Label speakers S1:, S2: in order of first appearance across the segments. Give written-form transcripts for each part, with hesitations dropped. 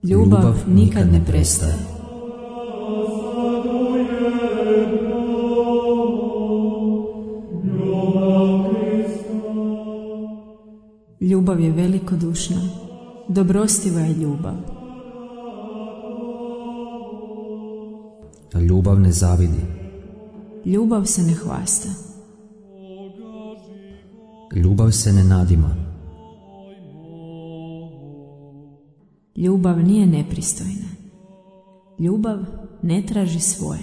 S1: Ljubav nikad ne prestaje. Ljubav je velikodušna, dobrostiva je ljubav.
S2: Ljubav ne zavidi.
S1: Ljubav se ne hvasta.
S2: Ljubav se ne nadima.
S1: Ljubav nije nepristojna. Ljubav ne traži svoje.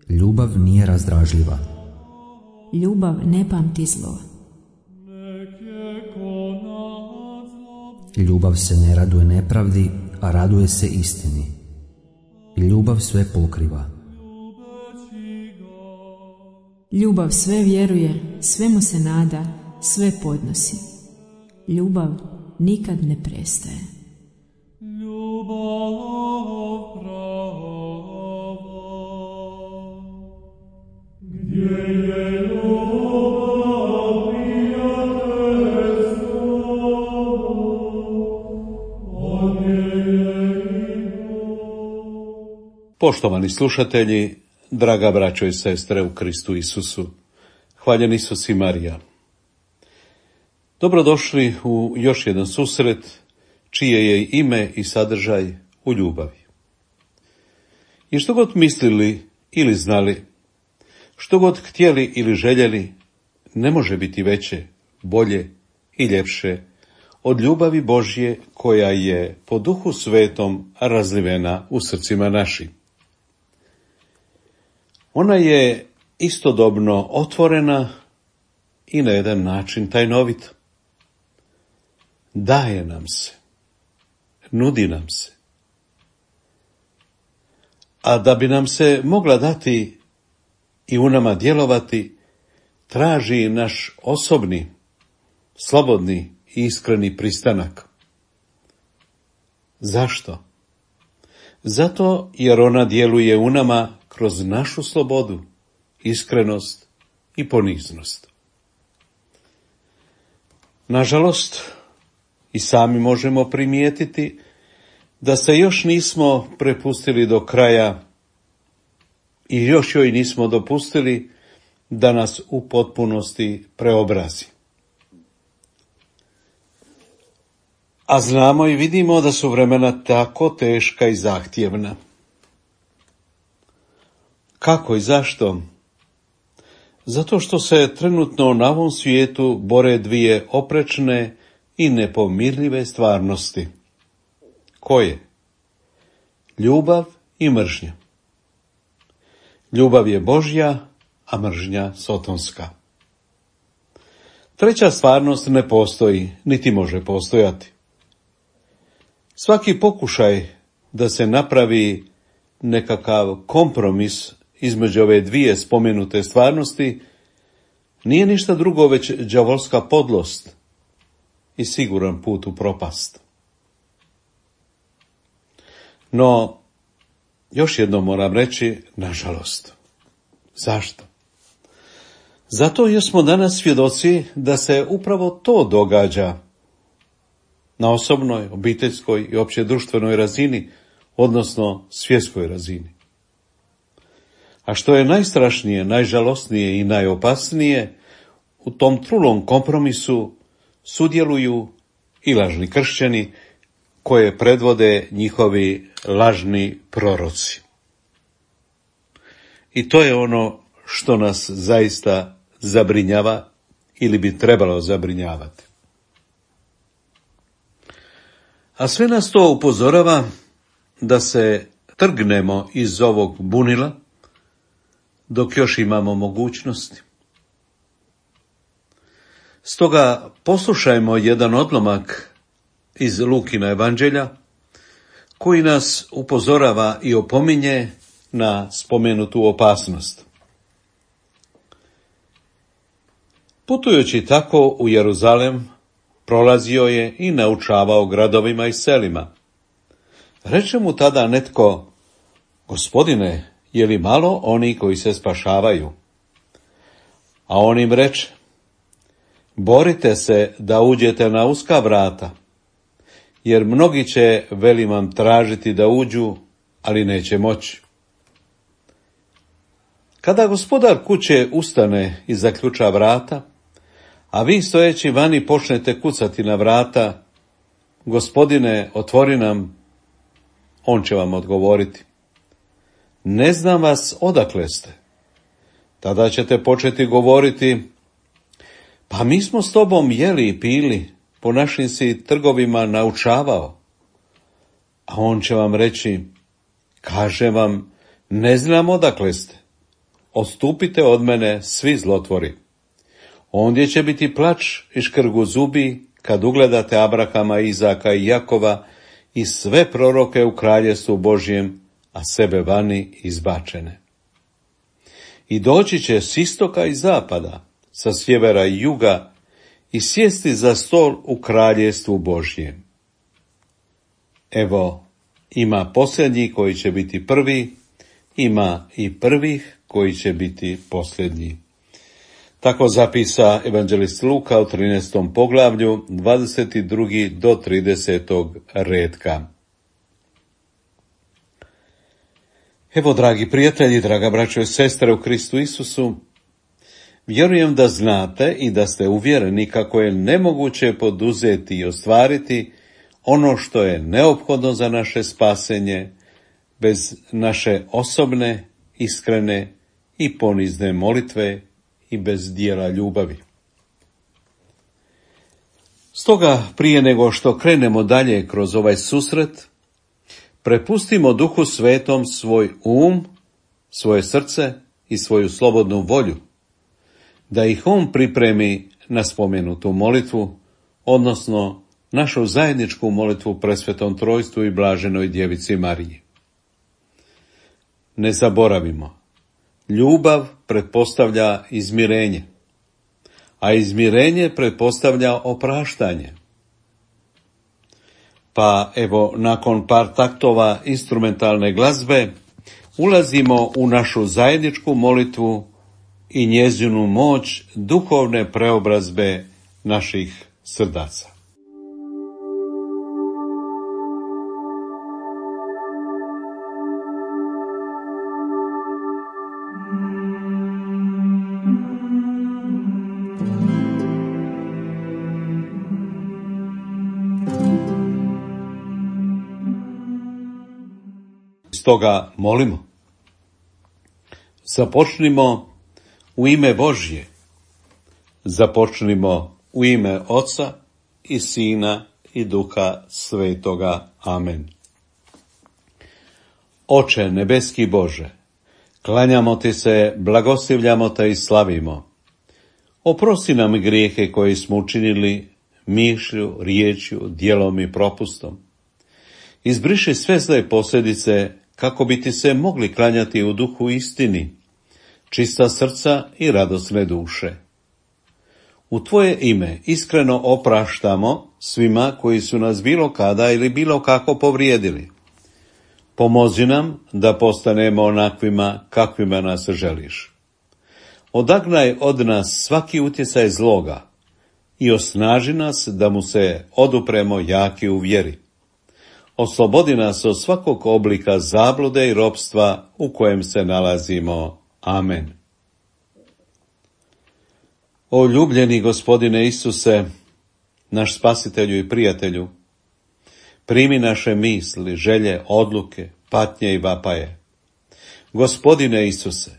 S2: Ljubav nije razdražljiva.
S1: Ljubav ne pamti zlo.
S2: Ljubav se ne raduje nepravdi, a raduje se istini. Ljubav sve pokriva.
S1: Ljubav sve vjeruje, sve mu se nada, sve podnosi. Ljubav nikad ne prestaje.
S3: Poštovani slušatelji, draga braćo i sestre u Kristu Isusu, hvaljen Isus i Marija. Dobrodošli u još jedan susret, čije je ime i sadržaj u ljubavi. I što god mislili ili znali, što god htjeli ili željeli, ne može biti veće, bolje i ljepše od ljubavi Božje koja je po Duhu Svetom razlivena u srcima našim. Ona je istodobno otvorena i na jedan način tajnovita. Daje nam se, nudi nam se. A da bi nam se mogla dati i u nama djelovati, traži naš osobni, slobodni i iskreni pristanak. Zašto? Zato jer ona djeluje u nama kroz našu slobodu, iskrenost i poniznost. Nažalost, i sami možemo primijetiti da se još nismo prepustili do kraja i još joj nismo dopustili da nas u potpunosti preobrazi. A znamo i vidimo da su vremena tako teška i zahtjevna. Kako i zašto? Zato što se trenutno na ovom svijetu bore dvije oprečne i nepomirljive stvarnosti. Koje? Ljubav i mržnja. Ljubav je Božja, a mržnja sotonska. Treća stvarnost ne postoji, niti može postojati. Svaki pokušaj da se napravi nekakav kompromis između ove dvije spomenute stvarnosti nije ništa drugo već đavolska podlost i siguran put u propast. No, još jednom moram reći, nažalost. Zašto? Zato jer smo danas svjedoci da se upravo to događa na osobnoj, obiteljskoj i opće društvenoj razini, odnosno svjetskoj razini. A što je najstrašnije, najžalosnije i najopasnije, u tom trulom kompromisu sudjeluju i lažni kršćani koje predvode njihovi lažni proroci. I to je ono što nas zaista zabrinjava ili bi trebalo zabrinjavati. A sve nas to upozorava da se trgnemo iz ovog bunila dok još imamo mogućnosti. Stoga poslušajmo jedan odlomak iz Lukina evanđelja koji nas upozorava i opominje na spomenutu opasnost. Putujući tako u Jeruzalem, prolazio je i naučavao gradovima i selima. Reče mu tada netko: Gospodine, je li malo oni koji se spašavaju? A on im reče: Borite se da uđete na uska vrata, jer mnogi će, velim vam, tražiti da uđu, ali neće moći. Kada gospodar kuće ustane i zaključa vrata, a vi stojeći vani počnete kucati na vrata: Gospodine, otvori nam, on će vam odgovoriti: Ne znam vas, odakle ste. Tada ćete početi govoriti: Pa mi smo s tobom jeli i pili, po našim si trgovima naučavao. A on će vam reći: Kažem vam, ne znam odakle ste. Odstupite od mene, svi zlotvori. Ondje će biti plač i škrgu zubi, kad ugledate Abrahama, Izaka i Jakova i sve proroke u kraljestvu Božjem, a sebe vani izbačene. I doći će s istoka i zapada, sa sjevera i juga, i sjesti za stol u kraljestvu Božjem. Evo, ima posljednji koji će biti prvi, ima i prvih koji će biti posljednji. Tako zapisa evanđelist Luka u 13. poglavlju, 22. do 30. redka. Evo, dragi prijatelji, draga braćo i sestre u Kristu Isusu, vjerujem da znate i da ste uvjereni kako je nemoguće poduzeti i ostvariti ono što je neophodno za naše spasenje bez naše osobne, iskrene i ponizne molitve i bez dijela ljubavi. Stoga, prije nego što krenemo dalje kroz ovaj susret, prepustimo Duhu Svetom svoj svoje srce i svoju slobodnu volju, da ih on pripremi na spomenutu molitvu, odnosno našu zajedničku molitvu Presvetom Trojstvu i Blaženoj Djevici Mariji. Ne zaboravimo, ljubav pretpostavlja izmirenje, a izmirenje pretpostavlja opraštanje. Pa evo, nakon par taktova instrumentalne glazbe, ulazimo u našu zajedničku molitvu i njezinu moć duhovne preobrazbe naših srdaca. Stoga molimo. Započnimo u ime Božje. Započnimo u ime Oca i Sina i Duha Svetoga. Amen. Oče nebeski Bože, klanjamo ti se, blagoslivljamo te i slavimo. Oprosti nam grijehe koje smo učinili mišlju, riječju, djelom i propustom. Izbriši sve zle posljedice kako bi ti se mogli klanjati u duhu istini, čista srca i radosne duše. U tvoje ime iskreno opraštamo svima koji su nas bilo kada ili bilo kako povrijedili. Pomozi nam da postanemo onakvima kakvima nas želiš. Odagnaj od nas svaki utjecaj zloga i osnaži nas da mu se odupremo jaki u vjeri. Oslobodi nas od svakog oblika zablude i ropstva u kojem se nalazimo. Amen. O ljubljeni Gospodine Isuse, naš spasitelju i prijatelju, primi naše misli, želje, odluke, patnje i vapaje. Gospodine Isuse,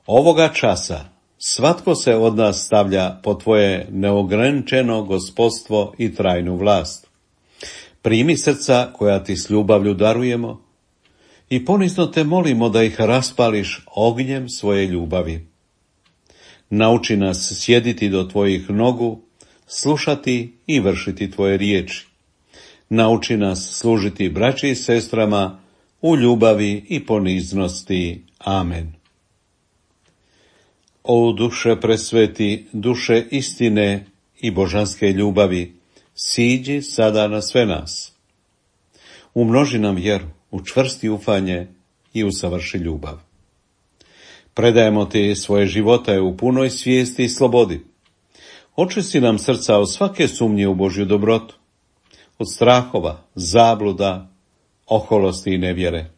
S3: ovoga časa svatko se od nas stavlja po tvoje neograničeno gospodstvo i trajnu vlast. Primi srca koja ti s ljubavlju darujemo i ponizno te molimo da ih raspališ ognjem svoje ljubavi. Nauči nas sjediti do tvojih nogu, slušati i vršiti tvoje riječi. Nauči nas služiti braći i sestrama u ljubavi i poniznosti. Amen. O duše presveti, duše istine i božanske ljubavi, siđi sada na sve nas. Umnoži nam vjeru, učvrsti ufanje i usavrši ljubav. Predajemo ti svoje živote u punoj svijesti i slobodi. Očisti nam srca od svake sumnje u Božju dobrotu, od strahova, zabluda, oholosti i nevjere.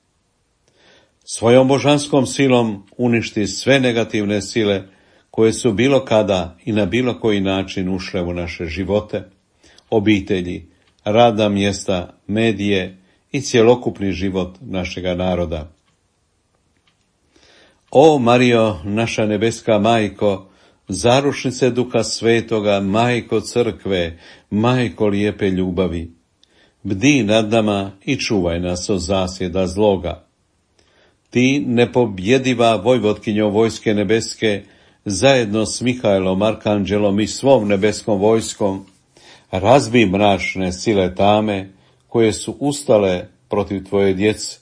S3: Svojom božanskom silom uništi sve negativne sile koje su bilo kada i na bilo koji način ušle u naše živote, obitelji, radna mjesta, medije i cjelokupni život našega naroda. O Marijo, naša nebeska majko, zarušnice Duha Svetoga, majko crkve, majko lijepe ljubavi, bdi nad nama i čuvaj nas od zasjeda zloga. Ti, nepobjediva vojvotkinjo vojske nebeske, zajedno s Mihajlom, arkanđelom i svom nebeskom vojskom, razbij mračne sile tame koje su ustale protiv tvoje djece.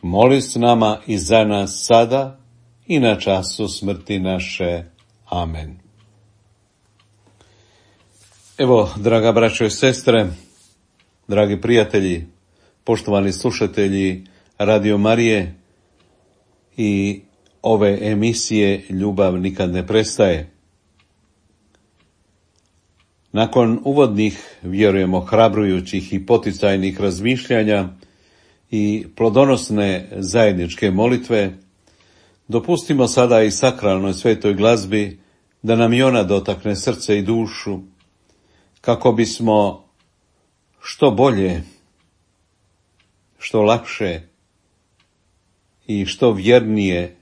S3: Moli s nama i za nas sada i na času smrti naše. Amen. Evo, draga braćo i sestre, dragi prijatelji, poštovani slušatelji Radio Marije i ove emisije Ljubav nikad ne prestaje. Nakon uvodnih, vjerujemo, hrabrujućih i poticajnih razmišljanja i plodonosne zajedničke molitve, dopustimo sada i sakralnoj svetoj glazbi da nam i ona dotakne srce i dušu, kako bismo što bolje, što lakše i što vjernije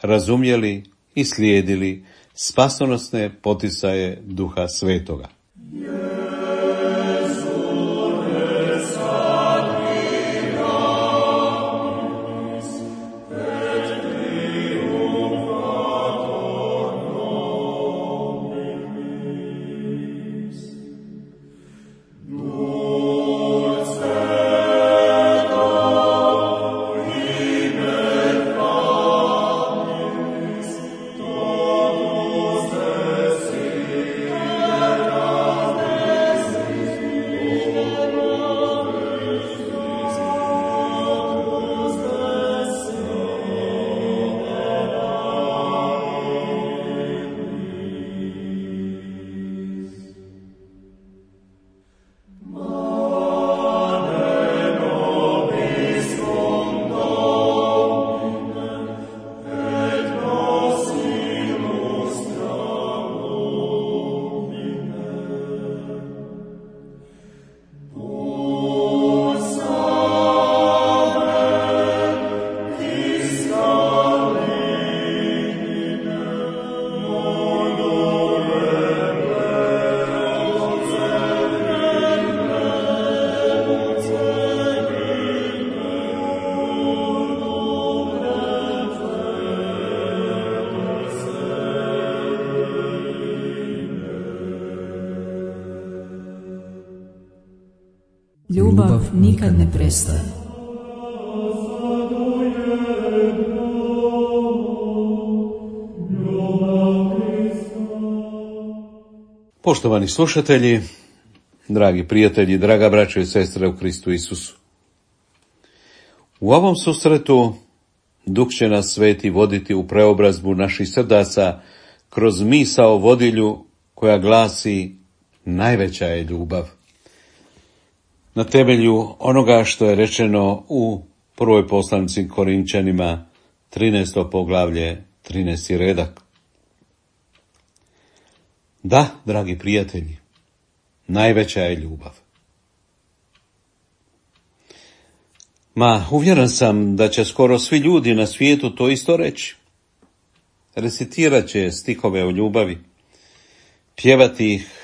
S3: razumjeli i slijedili spasonosne poticaje Duha Svetoga.
S1: Ljubav nikad ne prestaje.
S3: Poštovani slušatelji, dragi prijatelji, draga braćo i sestre u Kristu Isusu. U ovom susretu Duh će nas sveti voditi u preobrazbu naših srdaca kroz misao vodilju koja glasi: najveća je ljubav. Na temelju onoga što je rečeno u prvoj poslanici Korinčanima, 13. poglavlje, 13. redak. Da, dragi prijatelji, najveća je ljubav. Uvjeren sam da će skoro svi ljudi na svijetu to isto reći. Recitirat će stihove o ljubavi, pjevati ih,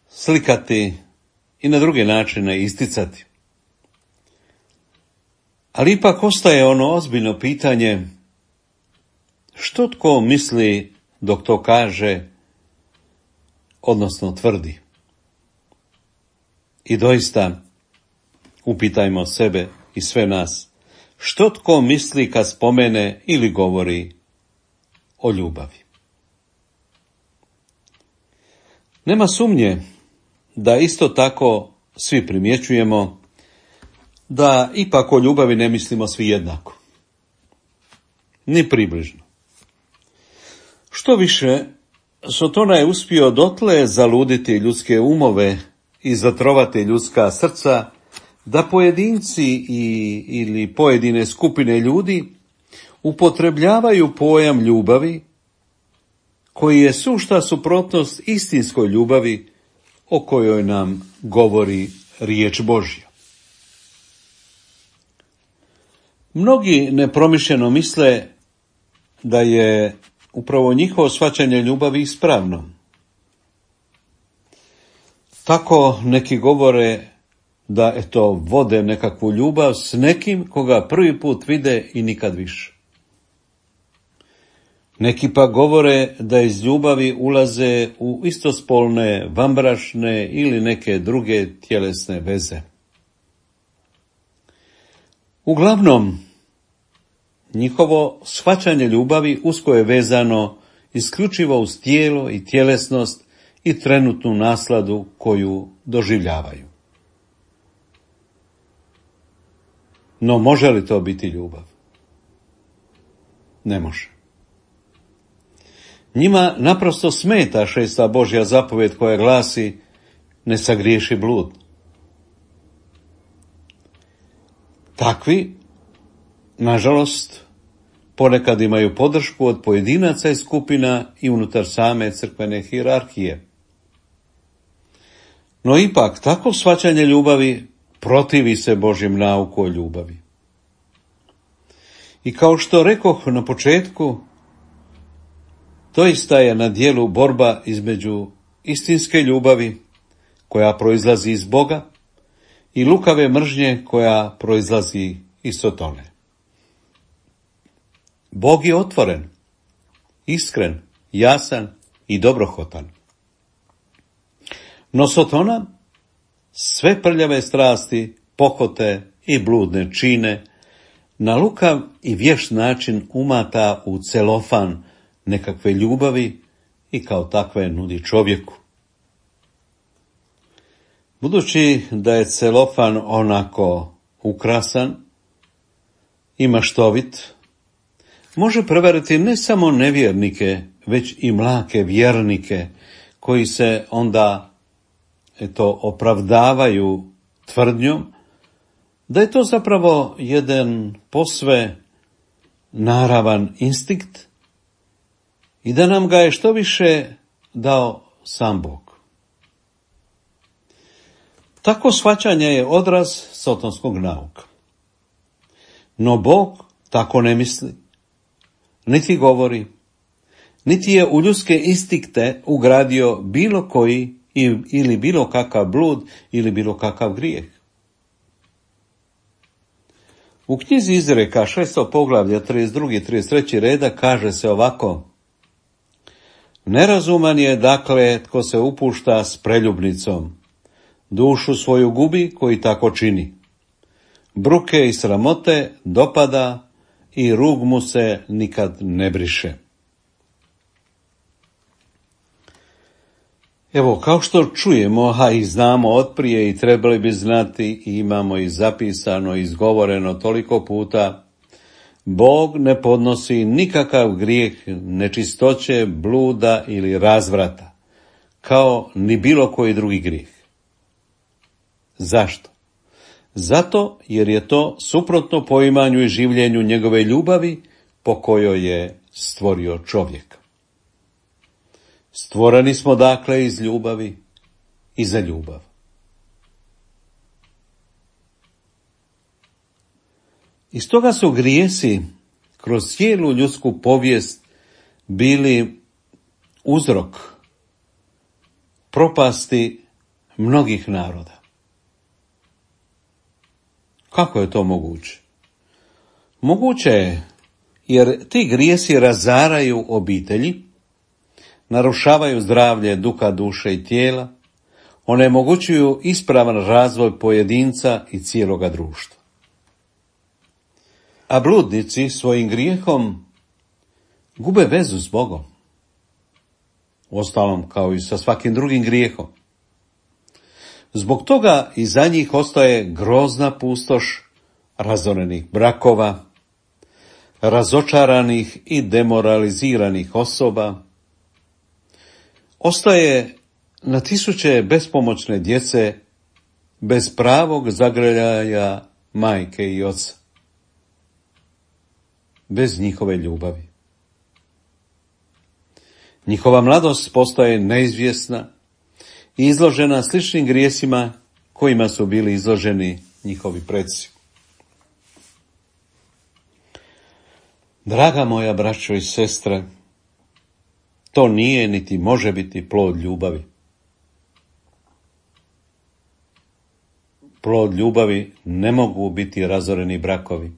S3: slikati i na druge načine isticati. Ali ipak ostaje ono ozbiljno pitanje: što tko misli dok to kaže, odnosno tvrdi? I doista, upitajmo sebe i sve nas, što tko misli kad spomene ili govori o ljubavi? Nema sumnje da isto tako svi primjećujemo da ipak o ljubavi ne mislimo svi jednako. Ni približno. Što više, Sotona je uspio dotle zaluditi ljudske umove i zatrovati ljudska srca, da pojedinci ili pojedine skupine ljudi upotrebljavaju pojam ljubavi, koji je sušta suprotnost istinskoj ljubavi o kojoj nam govori riječ Božja. Mnogi nepromišljeno misle da je upravo njihovo shvaćanje ljubavi ispravno. Tako neki govore da vode nekakvu ljubav s nekim koga prvi put vide i nikad više. Neki pa govore da iz ljubavi ulaze u istospolne, vanbračne ili neke druge tjelesne veze. Uglavnom, njihovo shvaćanje ljubavi usko je vezano isključivo uz tijelo i tjelesnost i trenutnu nasladu koju doživljavaju. No može li to biti ljubav? Ne može. Njima naprosto smeta 6. Božja zapovjed koja glasi: ne sagriješi blud. Takvi, nažalost, ponekad imaju podršku od pojedinaca i skupina i unutar same crkvene hijerarhije. No ipak, takvo shvaćanje ljubavi protivi se Božjem nauku o ljubavi. I kao što rekoh na početku, doista je na djelu borba između istinske ljubavi koja proizlazi iz Boga i lukave mržnje koja proizlazi iz Sotone. Bog je otvoren, iskren, jasan i dobrohotan. No Sotona sve prljave strasti, pohote i bludne čine na lukav i vješt način umata u celofan nekakve ljubavi i kao takve nudi čovjeku. Budući da je celofan onako ukrasan i maštovit, može prevariti ne samo nevjernike, već i mlake vjernike, koji se onda opravdavaju tvrdnjom da je to zapravo jedan posve naravan instinkt i da nam ga je što više dao sam Bog. Tako shvaćanje je odraz sotonskog nauka. No Bog tako ne misli, niti govori, niti je u ljudske instinkte ugradio bilo koji ili bilo kakav blud ili bilo kakav grijeh. U knjizi Izreka 6. poglavlja 32. i 33. reda kaže se ovako: nerazuman je dakle tko se upušta s preljubnicom, dušu svoju gubi koji tako čini. Bruke i sramote dopada i rug mu se nikad ne briše. Evo, kao što čujemo, a i znamo otprije i trebali bi znati, i imamo i zapisano, izgovoreno toliko puta, Bog ne podnosi nikakav grijeh nečistoće, bluda ili razvrata, kao ni bilo koji drugi grijeh. Zašto? Zato jer je to suprotno poimanju i življenju njegove ljubavi po kojoj je stvorio čovjeka. Stvoreni smo dakle iz ljubavi i za ljubav. I stoga su grijesi kroz cijelu ljudsku povijest bili uzrok propasti mnogih naroda. Kako je to moguće? Moguće je jer ti grijesi razaraju obitelji, narušavaju zdravlje duha, duše i tijela, onemogućuju ispravan razvoj pojedinca i cijeloga društva. A bludnici svojim grijehom gube vezu s Bogom. uostalom kao i sa svakim drugim grijehom. Zbog toga i za njih ostaje grozna pustoš razorenih brakova, razočaranih i demoraliziranih osoba. Ostaje na tisuće bespomoćne djece bez pravog zagrljaja majke i oca, bez njihove ljubavi. Njihova mladost postaje neizvjesna i izložena sličnim grijesima kojima su bili izloženi njihovi preci. Draga moja braćo i sestre, to nije niti može biti plod ljubavi. Plod ljubavi ne mogu biti razoreni brakovi,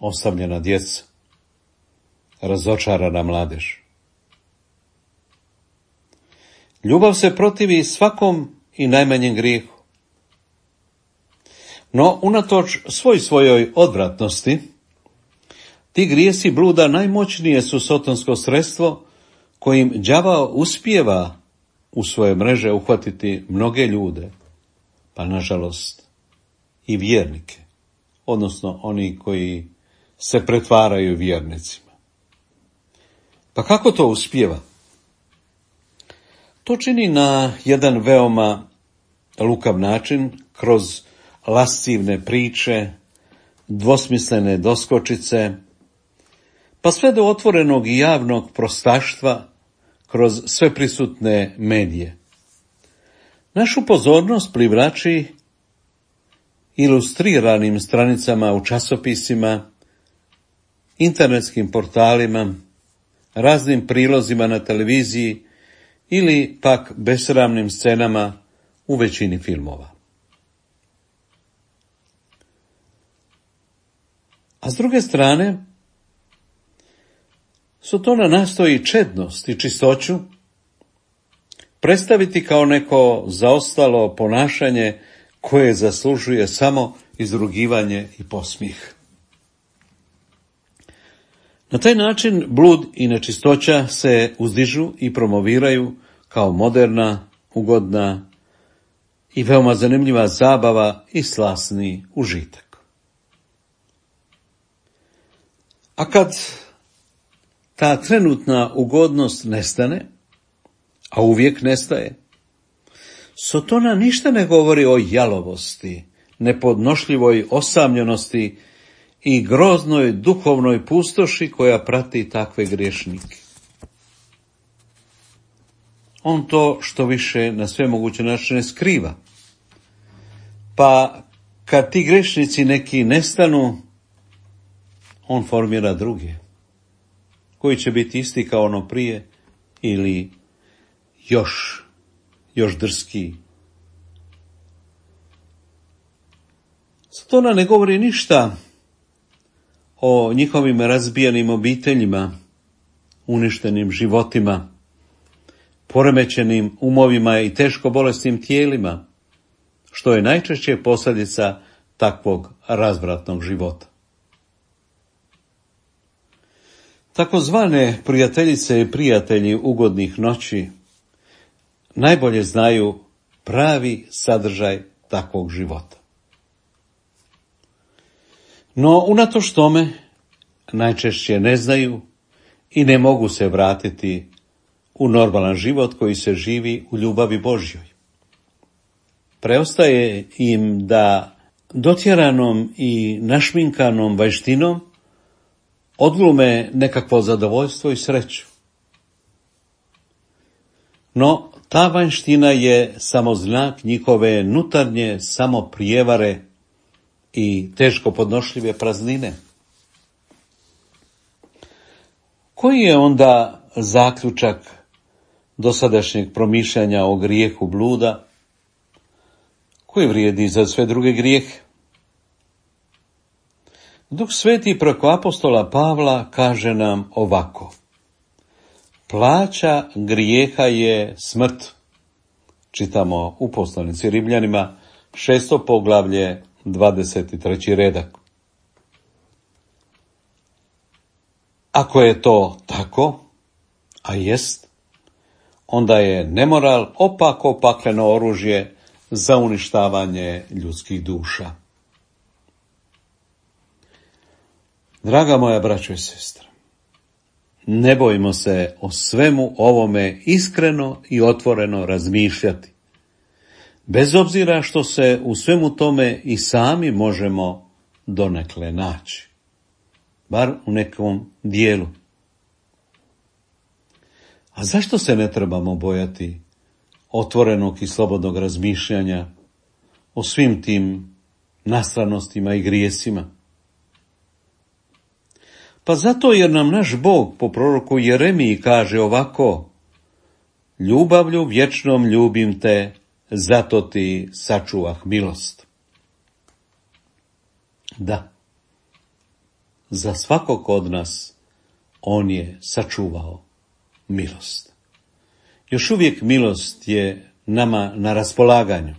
S3: osamljena djeca, razočarana mladež. Ljubav se protivi svakom i najmanjem grijehu. No, unatoč svojoj odvratnosti, ti grijesi bluda najmoćnije su sotonsko sredstvo kojim đavao uspijeva u svoje mreže uhvatiti mnoge ljude, pa nažalost i vjernike, odnosno oni koji se pretvaraju vjernicima. Pa kako to uspijeva? To čini na jedan veoma lukav način, kroz lascivne priče, dvosmislene doskočice, pa sve do otvorenog i javnog prostaštva kroz sveprisutne medije. Našu pozornost privlači ilustriranim stranicama u časopisima, internetskim portalima, raznim prilozima na televiziji ili pak besramnim scenama u većini filmova. A s druge strane, Sotona nastoji čednost i čistoću predstaviti kao neko zaostalo ponašanje koje zaslužuje samo izrugivanje i podsmijeh. Na taj način blud i nečistoća se uzdižu i promoviraju kao moderna, ugodna i veoma zanimljiva zabava i slasni užitak. A kad ta trenutna ugodnost nestane, a uvijek nestaje, Sotona ništa ne govori o jalovosti, nepodnošljivoj osamljenosti i groznoj duhovnoj pustoši koja prati takve griješnike. On to što više na sve moguće načine skriva. Pa kad ti grešnici neki nestanu, on formira druge, koji će biti isti kao ono prije ili još drskiji. Sotona ne govori ništa o njihovim razbijenim obiteljima, uništenim životima, poremećenim umovima i teško bolesnim tijelima, što je najčešće posljedica takvog razvratnog života. Takozvane prijateljice i prijatelji ugodnih noći najbolje znaju pravi sadržaj takvog života. No, unatoč tome, najčešće ne znaju i ne mogu se vratiti u normalan život koji se živi u ljubavi Božjoj. Preostaje im da dotjeranom i našminkanom vanjštinom odglume nekakvo zadovoljstvo i sreću. No, ta vanjština je samo znak njihove nutarnje samoprijevare i teško podnošljive praznine. Koji je onda zaključak dosadašnjeg promišljanja o grijehu bluda, koji vrijedi za sve druge grijehe? Duh Sveti preko apostola Pavla kaže nam ovako: plaća grijeha je smrt. Čitamo u poslanici Rimljanima 6. poglavlje 23. redak. Ako je to tako, a jest, onda je nemoral opako pakleno oružje za uništavanje ljudskih duša. Draga moja braćo i sestre, ne bojmo se o svemu ovome iskreno i otvoreno razmišljati, bez obzira što se u svemu tome i sami možemo donekle naći, bar u nekom dijelu. A zašto se ne trebamo bojati otvorenog i slobodnog razmišljanja o svim tim nastranostima i grijesima? Pa zato jer nam naš Bog po proroku Jeremiji kaže ovako: ljubavlju vječnom ljubim te, zato ti sačuvah milost. Da, za svakog od nas on je sačuvao milost. Još uvijek milost je nama na raspolaganju,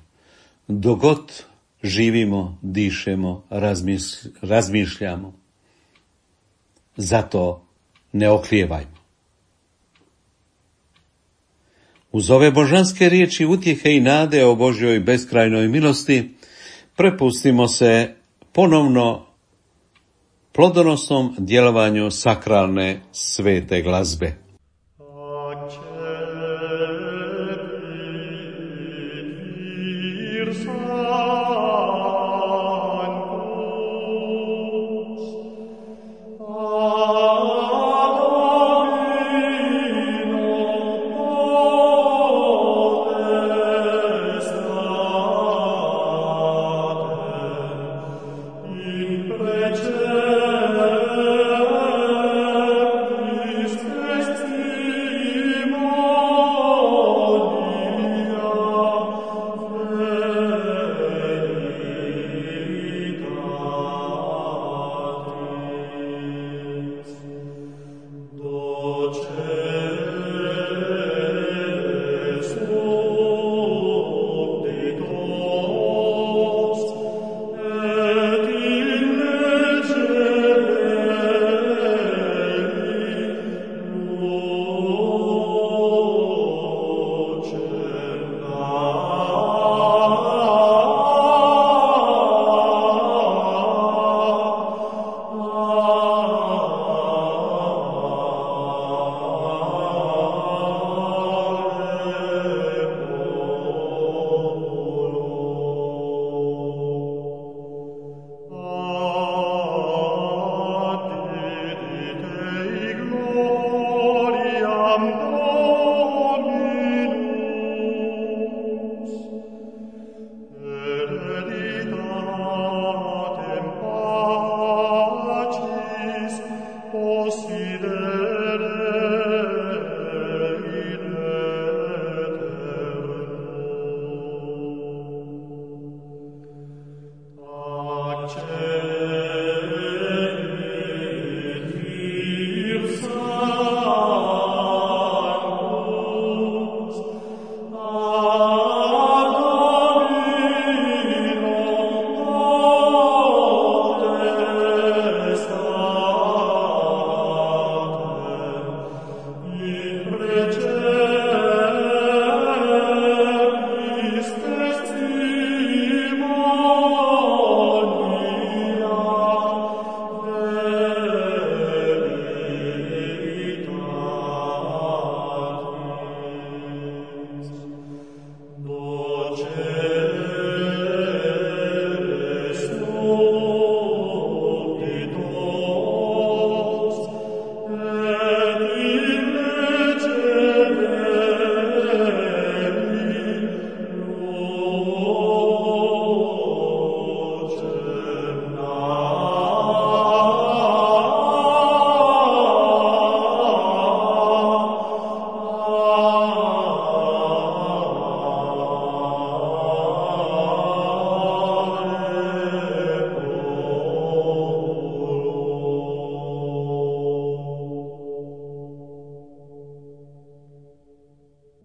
S3: dok god živimo, dišemo, razmišljamo. Zato ne oklijevajmo. Uz ove božanske riječi utjehe i nade o Božjoj beskrajnoj milosti, prepustimo se ponovno plodonosnom djelovanju sakralne svete glazbe.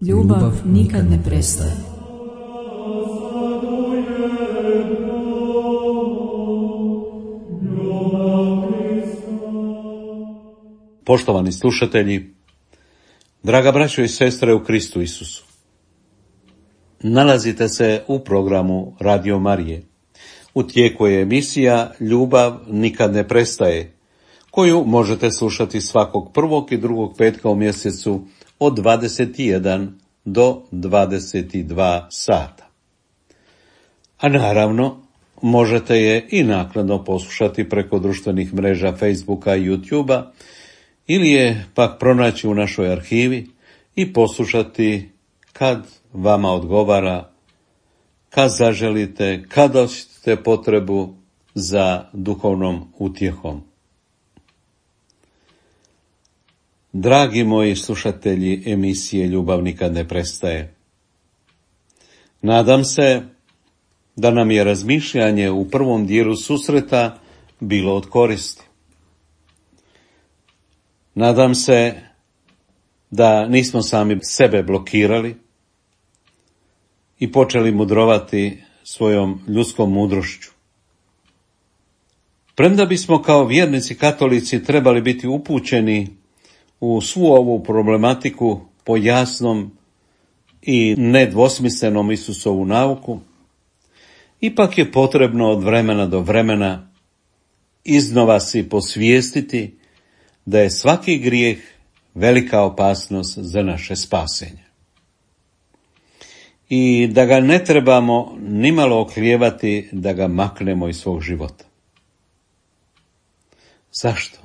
S1: Ljubav nikad ne prestaje.
S3: Poštovani slušatelji, draga braćo i sestre u Kristu Isusu, nalazite se u programu Radio Marije. U tijeku je emisija Ljubav nikad ne prestaje, koju možete slušati svakog prvog i drugog petka u mjesecu od 21 do 22 sata. A naravno, možete je i naknadno poslušati preko društvenih mreža Facebooka i YouTubea, ili je pak pronaći u našoj arhivi i poslušati kad vama odgovara, kad zaželite, kad osjetite potrebu za duhovnom utjehom. Dragi moji slušatelji emisije Ljubav nikad ne prestaje, nadam se da nam je razmišljanje u prvom dijelu susreta bilo od koristi. Nadam se da nismo sami sebe blokirali i počeli mudrovati svojom ljudskom mudrošću. Premda bismo kao vjernici katolici trebali biti upućeni u svu ovu problematiku po jasnom i nedvosmislenom Isusovu nauku, ipak je potrebno od vremena do vremena iznova si posvijestiti da je svaki grijeh velika opasnost za naše spasenje. I da ga ne trebamo nimalo oklijevati da ga maknemo iz svog života. Zašto?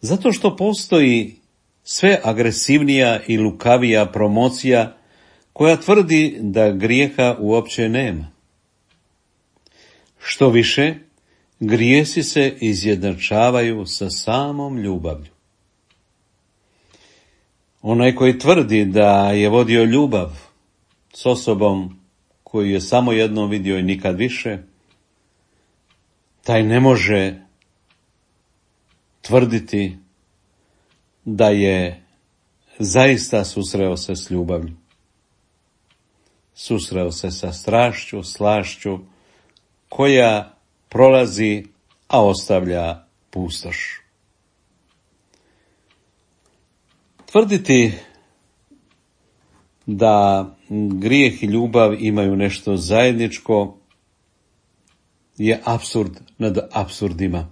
S3: Zato što postoji sve agresivnija i lukavija promocija koja tvrdi da grijeha uopće nema. Što više, grijesi se izjednačavaju sa samom ljubavlju. Onaj koji tvrdi da je vodio ljubav s osobom koju je samo jednom vidio i nikad više, taj ne može tvrditi da je zaista susreo se s ljubavlju. Susreo se sa strašću, slašću, koja prolazi, a ostavlja pustoš. Tvrditi da grijeh i ljubav imaju nešto zajedničko je apsurd nad apsurdima.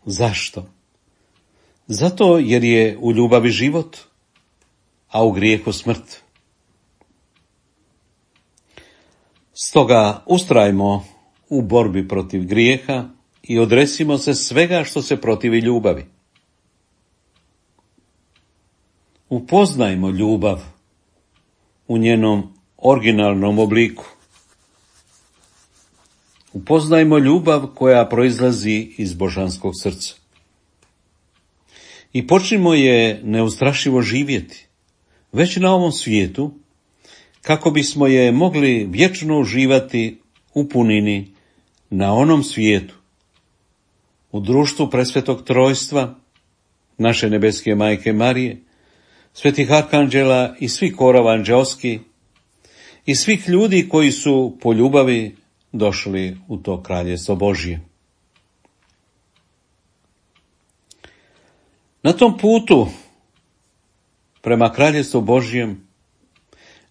S3: Zašto? Zato jer je u ljubavi život, a u grijehu smrt. Stoga ustrajmo u borbi protiv grijeha i odresimo se svega što se protivi ljubavi. Upoznajmo ljubav u njenom originalnom obliku. Upoznajmo ljubav koja proizlazi iz božanskog srca. I počnimo je neustrašivo živjeti, već na ovom svijetu, kako bismo je mogli vječno uživati u punini na onom svijetu, u društvu presvetog trojstva, naše nebeske majke Marije, svetih arkanđela i svih korova anđelski i svih ljudi koji su po ljubavi došli u to kraljestvo Božje. Na tom putu prema kraljevstvu Božjem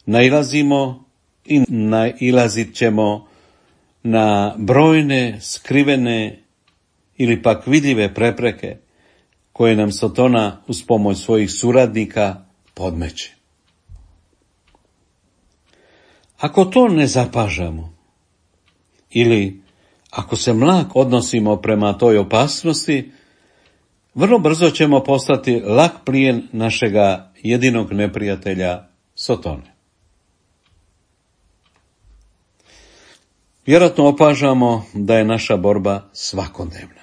S3: nailazimo i nailazit ćemo na brojne, skrivene ili pak vidljive prepreke koje nam Satana uz pomoć svojih suradnika podmeće. Ako to ne zapažamo ili ako se mlak odnosimo prema toj opasnosti, vrlo brzo ćemo postati lak plijen našega jedinog neprijatelja Satane. Vjerojatno opažamo da je naša borba svakodnevna.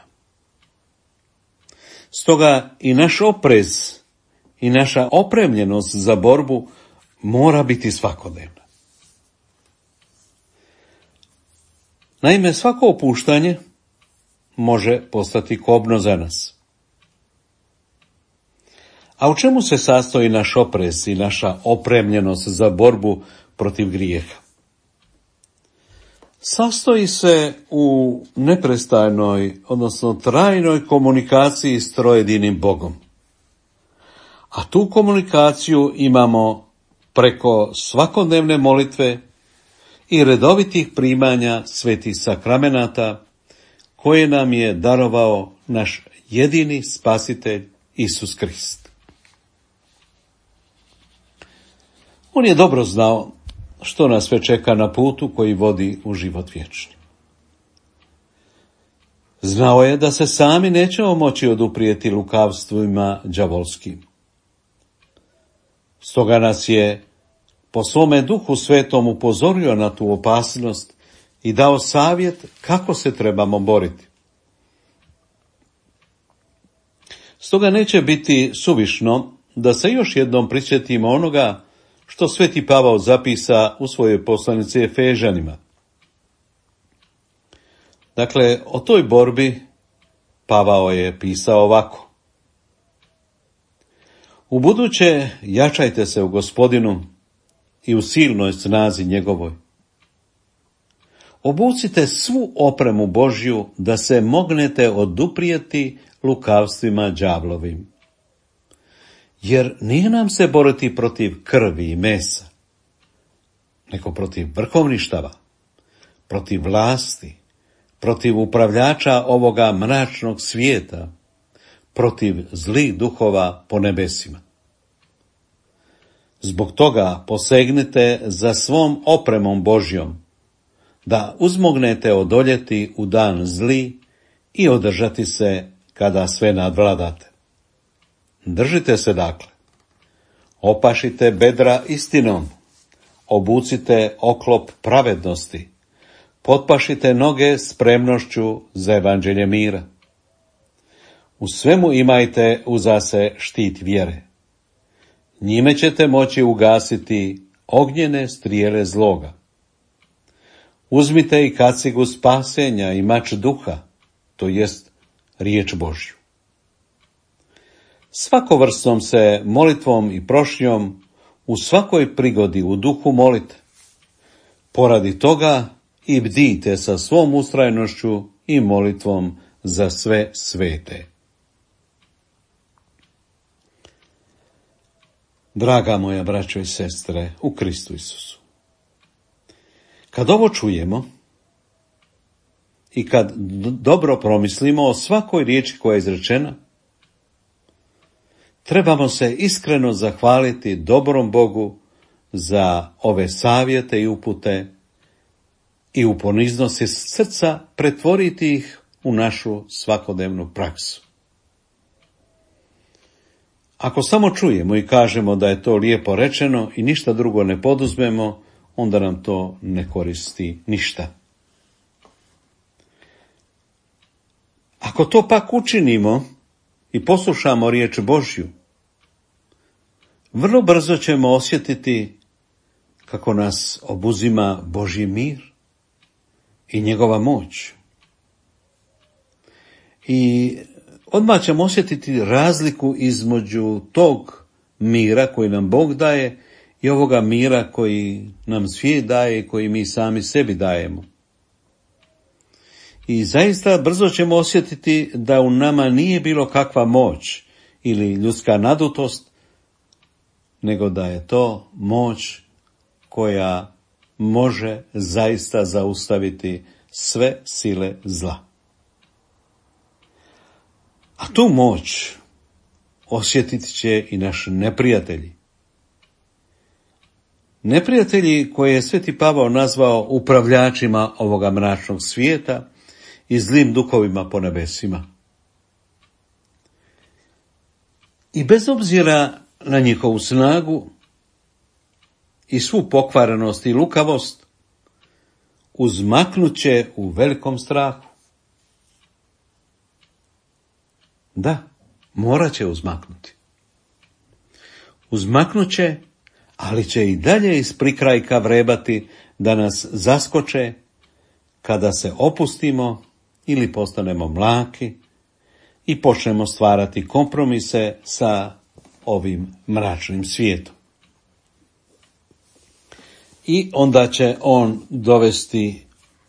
S3: Stoga i naš oprez i naša opremljenost za borbu mora biti svakodnevna. Naime, svako opuštanje može postati kobno za nas. A u čemu se sastoji naš oprez i naša opremljenost za borbu protiv grijeha? sastoji se u neprestajnoj, odnosno trajnoj komunikaciji s trojedinim Bogom. A tu komunikaciju imamo preko svakodnevne molitve i redovitih primanja svetih sakramenata koje nam je darovao naš jedini spasitelj Isus Krist. On je dobro znao što nas sve čeka na putu koji vodi u život vječni. Znao je da se sami nećemo moći oduprijeti lukavstvima đavolskim. Stoga nas je po svome Duhu Svetom upozorio na tu opasnost i dao savjet kako se trebamo boriti. Stoga neće biti suvišno da se još jednom prisjetimo onoga što sveti Pavao zapisa u svojoj poslanici Efežanima. Dakle, o toj borbi Pavao je pisao ovako. Ubuduće jačajte se u Gospodinu i u silnoj snazi njegovoj. Obucite svu opremu Božju da se mognete oduprijeti lukavstvima đavlovim. Jer nije nam se boriti protiv krvi i mesa, nego protiv vrhovništava, protiv vlasti, protiv upravljača ovoga mračnog svijeta, protiv zlih duhova po nebesima. Zbog toga posegnite za svom opremom Božjom, da uzmognete odoljeti u dan zli i održati se kada sve nadvladate. Držite se dakle, opašite bedra istinom, obucite oklop pravednosti, potpašite noge spremnošću za evanđelje mira. U svemu imajte uza se štit vjere. Njime ćete moći ugasiti ognjene strijele zloga. Uzmite i kacigu spasenja i mač duha, to jest riječ Božju. Svakovrsnom se molitvom i prošnjom u svakoj prigodi u duhu molite. Poradi toga i bdijte sa svom ustrajnošću i molitvom za sve svete. Draga moja braćo i sestre u Kristu Isusu, kad ovo čujemo i kad dobro promislimo o svakoj riječi koja je izrečena, trebamo se iskreno zahvaliti dobrom Bogu za ove savjete i upute i u poniznosti srca pretvoriti ih u našu svakodnevnu praksu. Ako samo čujemo i kažemo da je to lijepo rečeno i ništa drugo ne poduzmemo, onda nam to ne koristi ništa. Ako to pak učinimo i poslušamo riječ Božju, vrlo brzo ćemo osjetiti kako nas obuzima Božji mir i njegova moć. I odmah ćemo osjetiti razliku između tog mira koji nam Bog daje i ovoga mira koji nam svijet daje i koji mi sami sebi dajemo. I zaista brzo ćemo osjetiti da u nama nije bilo kakva moć ili ljudska nadutost, nego da je to moć koja može zaista zaustaviti sve sile zla. A tu moć osjetit će i naši neprijatelji. Neprijatelji koje je sveti Pavao nazvao upravljačima ovoga mračnog svijeta i zlim duhovima po nebesima. I bez obzira na njihovu snagu i svu pokvarenost i lukavost, uzmaknut će u velikom strahu. Da, morat će uzmaknuti. Uzmaknut će, ali će i dalje iz prikrajka vrebati da nas zaskoče kada se opustimo ili postanemo mlaki i počnemo stvarati kompromise sa ovim mračnim svijetom. I onda će on dovesti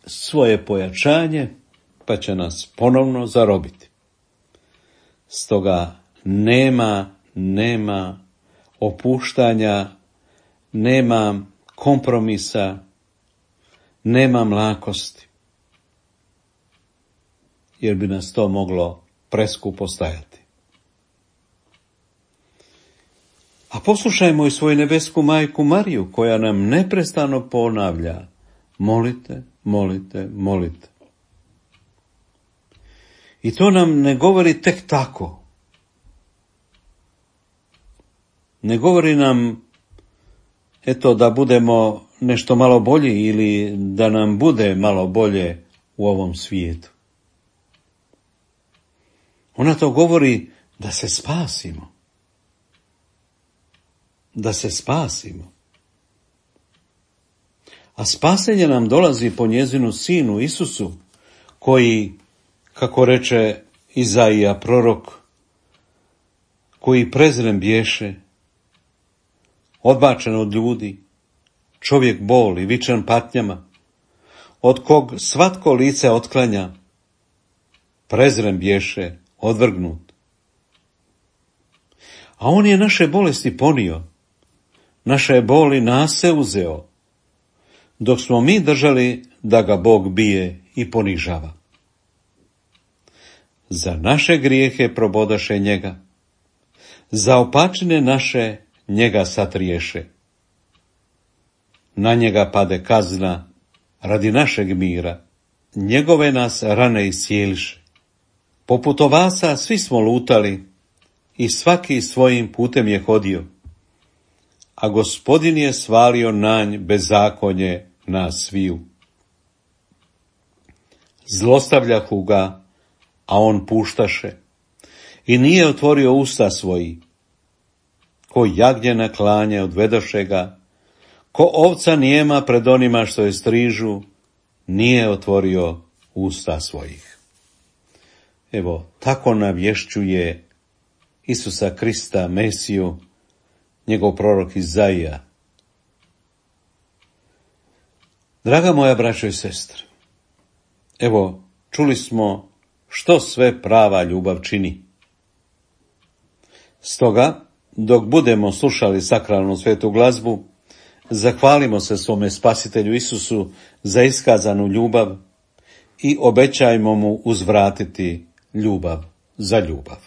S3: svoje pojačanje, pa će nas ponovno zarobiti. Stoga nema opuštanja, nema kompromisa, nema mlakosti, jer bi nas to moglo preskupo stajati. A poslušajmo i svoju nebesku majku Mariju, koja nam neprestano ponavlja: molite, molite, molite. I to nam ne govori tek tako. Ne govori nam, da budemo nešto malo bolji ili da nam bude malo bolje u ovom svijetu. Ona to govori da se spasimo. Da se spasimo. A spasenje nam dolazi po njezinu sinu Isusu, koji, kako reče Izaija prorok, koji prezren bješe, odbačen od ljudi, čovjek bol i vičan patnjama, od kog svatko lice otklanja, prezren bješe, odvrgnut. A on je naše bolesti ponio, naše boli nase uzeo, dok smo mi držali da ga Bog bije i ponižava. Za naše grijehe probodaše njega, za opačine naše njega satriješe. Na njega pade kazna radi našeg mira, njegove nas rane iscijeliše. Poput ovaca svi smo lutali i svaki svojim putem je hodio, a Gospodin je svalio na nj bezakonje nas sviju. Zlostavljahu ga, a on puštaše, i nije otvorio usta svoji. Ko jagnje na klanje odvedoše ga, ko ovca nijema pred onima što je strižu, nije otvorio usta svojih. Evo, tako navješćuje Isusa Krista, Mesiju, njegov prorok Izaija. Draga moja braćo i sestre, evo, čuli smo što sve prava ljubav čini. Stoga, dok budemo slušali sakralnu svetu glazbu, zahvalimo se svome Spasitelju Isusu za iskazanu ljubav i obećajmo mu uzvratiti ljubav za ljubav.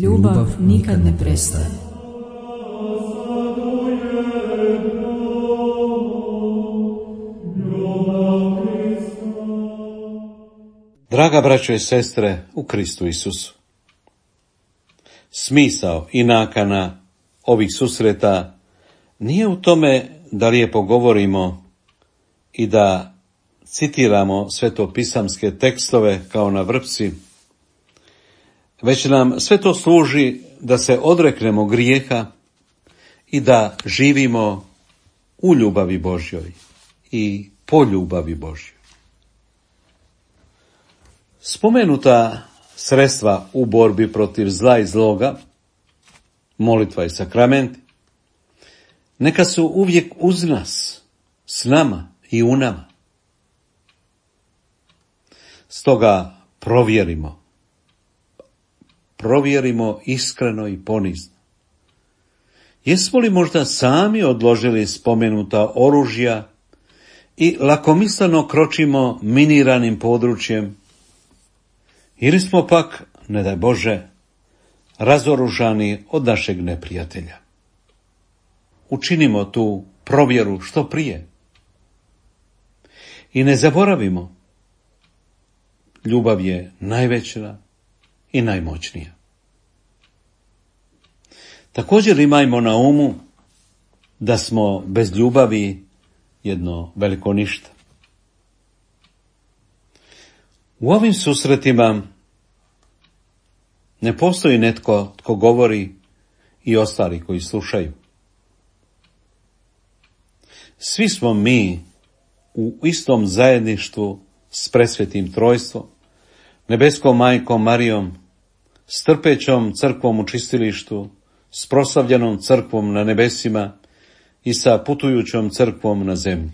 S1: Ljubav nikad ne prestaje.
S3: Draga braćo i sestre u Kristu Isusu, smisao i nakana ovih susreta nije u tome da lijepo govorimo i da citiramo svetopisamske tekstove kao na vrpci, već nam sve to služi da se odreknemo grijeha i da živimo u ljubavi Božjoj i po ljubavi Božjoj. Spomenuta sredstva u borbi protiv zla i zloga, molitva i sakramenti, neka su uvijek uz nas, s nama i u nama. Stoga provjerimo iskreno i ponizno. Jesmo li možda sami odložili spomenuta oružja i lakomisleno kročimo miniranim područjem, ili smo pak, ne daj Bože, razoružani od našeg neprijatelja? Učinimo tu provjeru što prije. I ne zaboravimo, ljubav je najveća i najmoćnija. Također imajmo na umu da smo bez ljubavi jedno veliko ništa. U ovim susretima ne postoji netko tko govori i ostali koji slušaju. Svi smo mi u istom zajedništvu s presvetim trojstvom, nebeskom majkom Marijom, s trpećom crkvom u čistilištu, s proslavljenom crkvom na nebesima i sa putujućom crkvom na zemlji.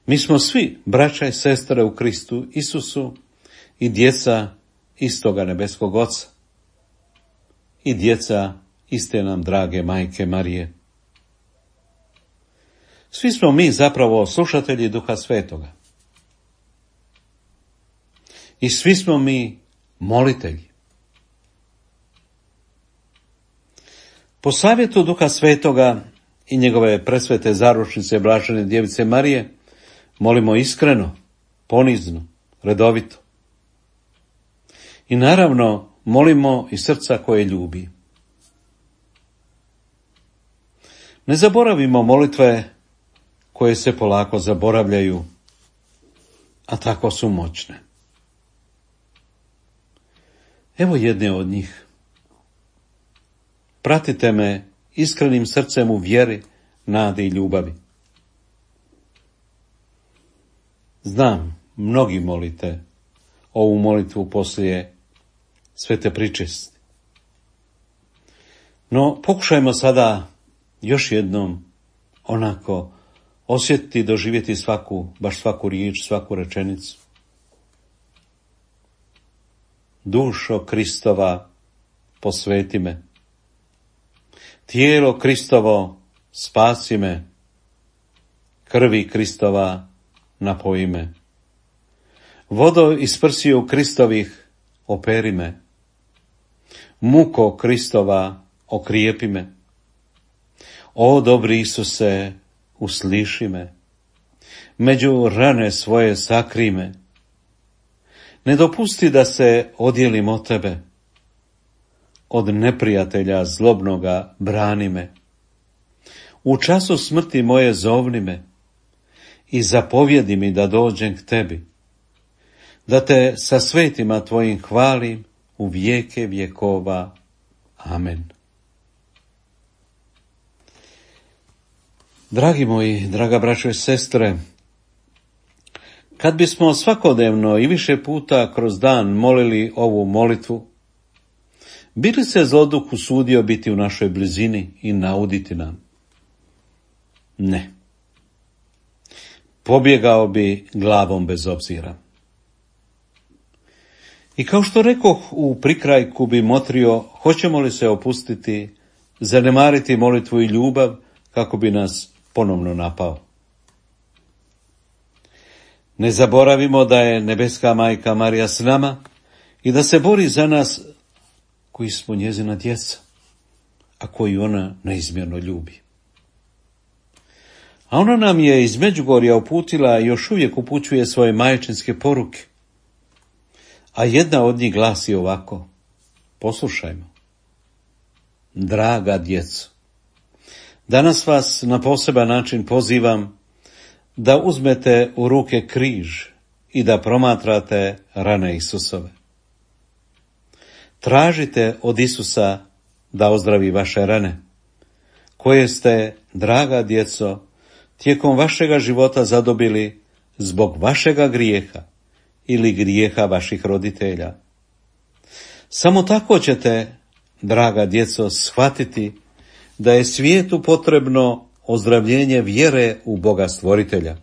S3: Mi smo svi braća i sestre u Kristu Isusu i djeca istoga nebeskog Oca i djeca iste nam drage majke Marije. Svi smo mi zapravo slušatelji Duha Svetoga. I svi smo mi molitelji. Po savjetu Duha Svetoga i njegove presvete zaručnice Blažene Djevice Marije molimo iskreno, ponizno, redovito. I naravno molimo iz srca koje ljubi. Ne zaboravimo molitve koje se polako zaboravljaju, a tako su moćne. Evo jedne od njih. Pratite me iskrenim srcem u vjeri, nadi i ljubavi. Znam, mnogi molite ovu molitvu poslije svete pričesti. No, pokušajmo sada još jednom onako osjetiti i doživjeti baš svaku riječ, svaku rečenicu. Dušo Kristova, posveti me. Tijelo Kristovo, spasi me. Krvi Kristova, napoji me. Vodo iz prsiju Kristovih, operi me. Muko Kristova, okrijepi me. O dobri Isuse, usliši me. Među rane svoje sakri me. Ne dopusti da se odjelim od tebe. Od neprijatelja zlobnoga brani me. U času smrti moje zovni me i zapovjedi mi da dođem k tebi, da te sa svetima tvojim hvalim u vijeke vjekova. Amen. Dragi moji, draga braćo i sestre, kad bismo svakodnevno i više puta kroz dan molili ovu molitvu, bi li se zloduh usudio biti u našoj blizini i nauditi nam? Ne. Pobjegao bi glavom bez obzira. I kao što rekoh u prikrajku bi motrio, hoćemo li se opustiti, zanemariti molitvu i ljubav kako bi nas ponovno napao. Ne zaboravimo da je nebeska majka Marija s nama i da se bori za nas koji smo njezina djeca, a koju ona neizmjerno ljubi. A ona nam je iz Međugorja uputila i još uvijek upućuje svoje majčinske poruke. A jedna od njih glasi ovako, poslušajmo. Draga djeco, danas vas na poseban način pozivam da uzmete u ruke križ i da promatrate rane Isusove. Tražite od Isusa da ozdravi vaše rane, koje ste, draga djeco, tijekom vašega života zadobili zbog vašega grijeha ili grijeha vaših roditelja. Samo tako ćete, draga djeco, shvatiti da je svijetu potrebno ozdravljenje vjere u Boga Stvoritelja.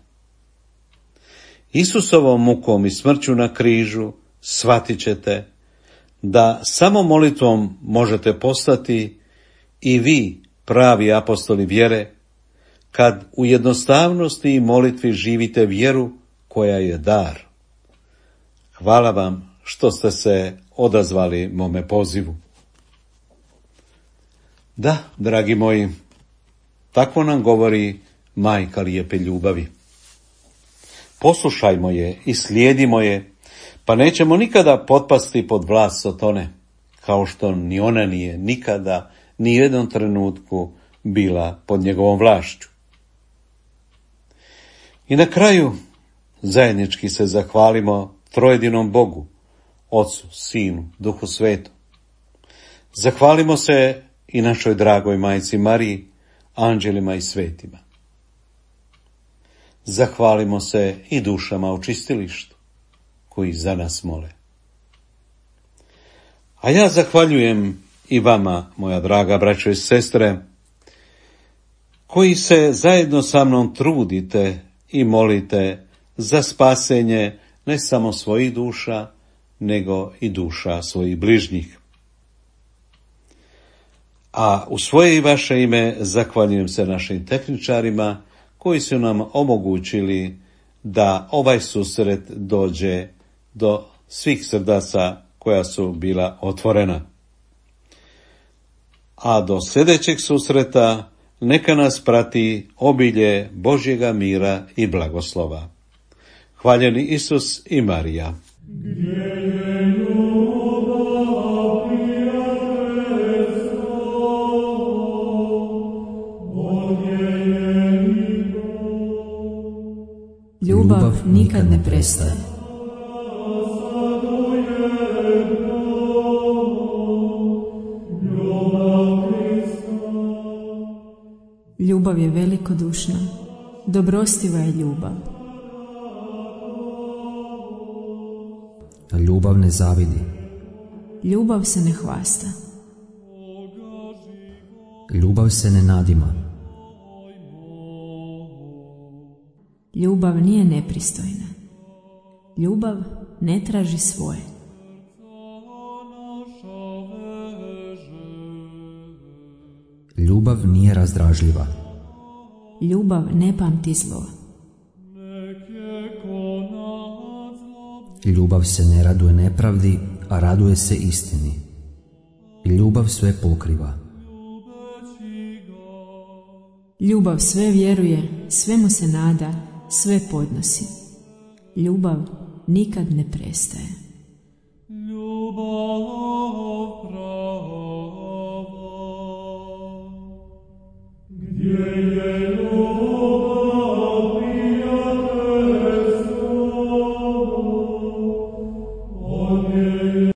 S3: Isusovom mukom i smrću na križu shvatit ćete da samo molitvom možete postati i vi pravi apostoli vjere, kad u jednostavnosti i molitvi živite vjeru koja je dar. Hvala vam što ste se odazvali mome pozivu. Da, dragi moji, tako nam govori majka lijepe ljubavi. Poslušajmo je i slijedimo je, pa nećemo nikada potpasti pod vlast Sotone, kao što ni ona nije nikada, ni u jednom trenutku bila pod njegovom vlašću. I na kraju zajednički se zahvalimo trojedinom Bogu, Ocu, Sinu, Duhu Svetom. Zahvalimo se i našoj dragoj majci Mariji, anđelima i svetima. Zahvalimo se i dušama u čistilištu, koji za nas mole. A ja zahvaljujem i vama, moja draga braćo i sestre, koji se zajedno sa mnom trudite i molite za spasenje ne samo svojih duša, nego i duša svojih bližnjih. A u svoje i vaše ime zahvaljujem se našim tehničarima koji su nam omogućili da ovaj susret dođe do svih srdaca koja su bila otvorena. A do sljedećeg susreta neka nas prati obilje Božjega mira i blagoslova. Hvaljeni Isus i Marija.
S1: Ljubav nikad ne prestaje. Ljubav je velikodušna, dobrostiva je ljubav.
S2: Ljubav ne zavidi.
S1: Ljubav se ne hvasta.
S2: Ljubav se ne nadima.
S1: Ljubav nije nepristojna. Ljubav ne traži svoje.
S2: Ljubav nije razdražljiva.
S1: Ljubav ne pamti zlo.
S2: Ljubav se ne raduje nepravdi, a raduje se istini. Ljubav sve pokriva.
S1: Ljubav sve vjeruje, svemu se nada, sve podnosi. Ljubav nikad ne prestaje.
S4: Gdje